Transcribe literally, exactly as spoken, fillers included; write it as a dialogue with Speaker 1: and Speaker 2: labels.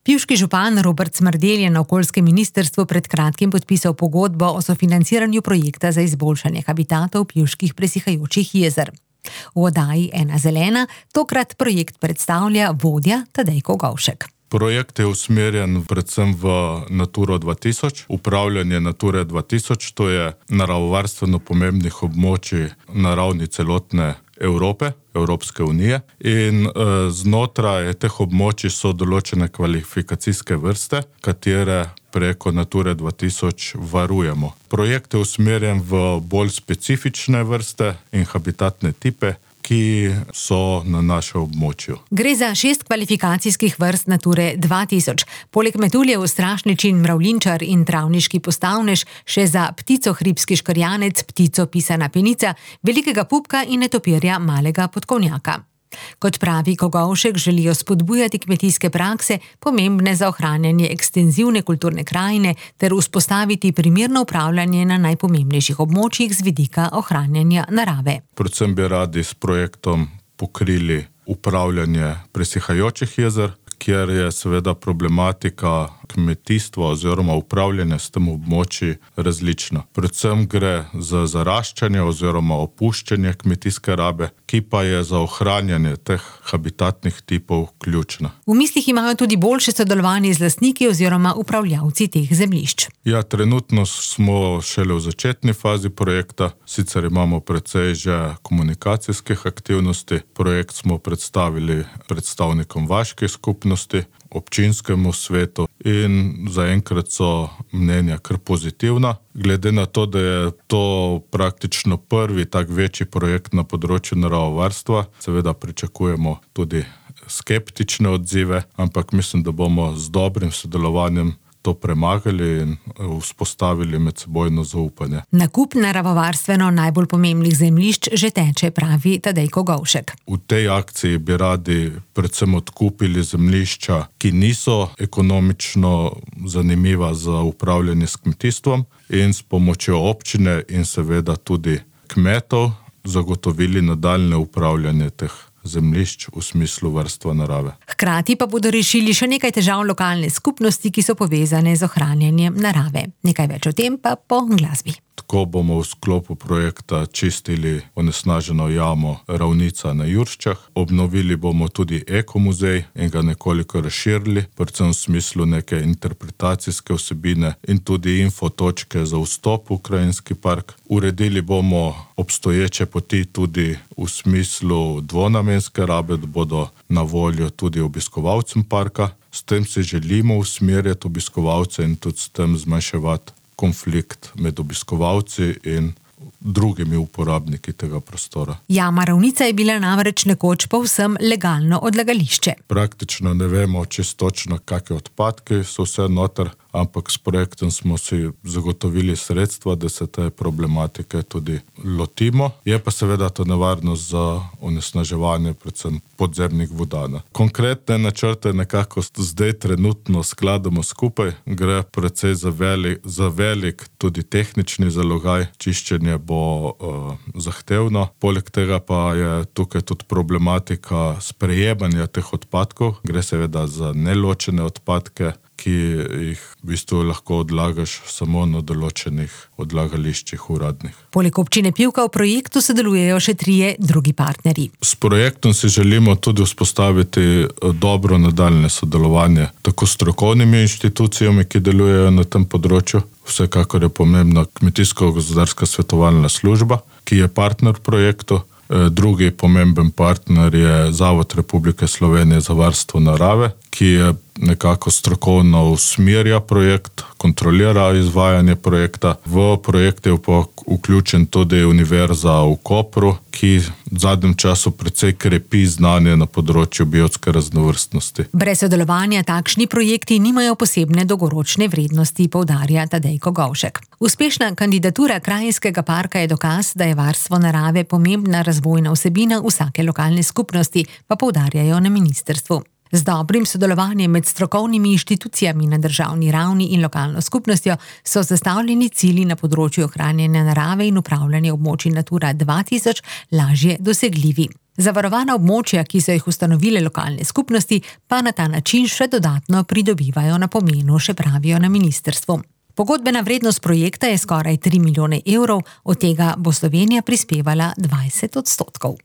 Speaker 1: Pivški župan Robert Smrdelj je na okoljskem ministrstvu pred kratkim podpisal pogodbo o sofinanciranju projekta za izboljšanje habitatov pivških presihajočih jezer. V oddaji Ena zelena tokrat projekt predstavlja vodja Tadej Kogovšek.
Speaker 2: Projekt je usmerjen predvsem v Naturo dva tisoč, upravljanje Nature dva tisoč, to je naravovarstveno pomembnih območij na ravni celotne Evrope, Evropske unije, in e, znotraj teh območij so določene kvalifikacijske vrste, katere preko Nature dva tisoč varujemo. Projekt je usmerjen v bolj specifične vrste in habitatne tipe, ki so na našem območju.
Speaker 1: Gre za šest kvalifikacijskih vrst Nature dva tisoč. Poleg metuljev, strašničin, mravljinčar in travniški postavnež še za ptico hribski škrjanec, ptico pisana penica, velikega pupka in netopirja malega podkovnjaka. Kot pravi Kogovšek, želijo spodbujati kmetijske prakse, pomembne za ohranjanje ekstenzivne kulturne krajine, ter vzpostaviti primerno upravljanje na najpomembnejših območjih z vidika ohranjanja narave.
Speaker 2: Predvsem bi radi s projektom pokrili upravljanje presihajočih jezer, kjer je seveda problematika kmetijstva oziroma upravljanja s tem območji različna. Predvsem gre za zaraščanje oziroma opuščanje kmetijske rabe, ki pa je za ohranjanje teh habitatnih tipov ključna.
Speaker 1: V mislih imajo tudi boljše sodelovanje z lastniki oziroma upravljavci teh zemljišč.
Speaker 2: Ja, trenutno smo šele v začetni fazi projekta, sicer imamo precej že komunikacijskih aktivnosti. Projekt smo predstavili predstavnikom vaških skupnosti, občinskemu svetu in zaenkrat so mnenja kar pozitivna. Glede na to, da je to praktično prvi tak večji projekt na področju naravovarstva, seveda pričakujemo tudi skeptične odzive, ampak mislim, da bomo z dobrim sodelovanjem to premagali in vzpostavili medsebojno zaupanje.
Speaker 1: Nakup naravovarstveno najbolj pomembnih zemljišč že teče, pravi Tadej Kogovšek.
Speaker 2: V tej akciji bi radi predvsem odkupili zemljišča, ki niso ekonomično zanimiva za upravljanje s kmetijstvom, in s pomočjo občine in seveda tudi kmetov zagotovili nadaljnje upravljanje teh zemljišč v smislu varstva narave.
Speaker 1: Hkrati pa bodo rešili še nekaj težav lokalne skupnosti, ki so povezane z ohranjanjem narave. Nekaj več o tem pa po glasbi.
Speaker 2: Tako bomo v sklopu projekta čistili onesnaženo jamo Ravnica na Jurščah, obnovili bomo tudi ekomuzej in ga nekoliko razširili, predvsem v smislu neke interpretacijske vsebine in tudi infotočke za vstop v krajinski park. Uredili bomo obstoječe poti tudi v smislu dvonamenske rabe, da bodo na voljo tudi obiskovalcem parka. S tem si želimo usmerjati obiskovalce in tudi s tem zmanjševati konflikt med obiskovalci in drugimi uporabniki tega prostora.
Speaker 1: Jama Ravnica je bila namreč nekoč povsem legalno odlagališče.
Speaker 2: Praktično ne vemo čisto točno, kakšne odpadke so vse noter, ampak s projektom smo si zagotovili sredstva, da se te problematike tudi lotimo. Je pa seveda to nevarnost za onesnaževanje predvsem podzemnih voda. Konkretne načrte nekako zdaj trenutno skladamo skupaj. Gre precej za velik, za velik tudi tehnični zalogaj. Čiščenje bo uh, zahtevno. Poleg tega pa je tukaj tudi problematika sprejemanja teh odpadkov. Gre seveda za neločene odpadke, ki jih v bistvu lahko odlagaš samo na določenih odlagališčih uradnih.
Speaker 1: Poleg občine Pivka v projektu sodelujejo še trije drugi partnerji.
Speaker 2: S projektom si želimo tudi vzpostaviti dobro nadaljne sodelovanje tako s strokovnimi inštitucijami, ki delujejo na tem področju. Vsekakor je pomembna Kmetijsko-gozdarska svetovalna služba, ki je partner projektu. Drugi pomemben partner je Zavod Republike Slovenije za varstvo narave, ki je nekako strokovno usmerja projekt, kontrolira izvajanje projekta. V projekt je pa vključen tudi Univerza v Kopru, ki v zadnjem času precej krepi znanje na področju biotske raznovrstnosti.
Speaker 1: Brez sodelovanja takšni projekti nimajo posebne dolgoročne vrednosti, poudarja Tadej Kogovšek. Uspešna kandidatura krajinskega parka je dokaz, da je varstvo narave pomembna razvojna vsebina vsake lokalne skupnosti, pa poudarjajo na ministrstvu. Z dobrim sodelovanjem med strokovnimi inštitucijami na državni ravni in lokalno skupnostjo so zastavljeni cilji na področju ohranjanja narave in upravljanja območij Natura dva tisoč lažje dosegljivi. Zavarovana območja, ki so jih ustanovile lokalne skupnosti, pa na ta način še dodatno pridobivajo na pomenu, še pravijo na ministrstvu. Pogodbena vrednost projekta je skoraj tri milijone evrov, od tega bo Slovenija prispevala dvajset odstotkov.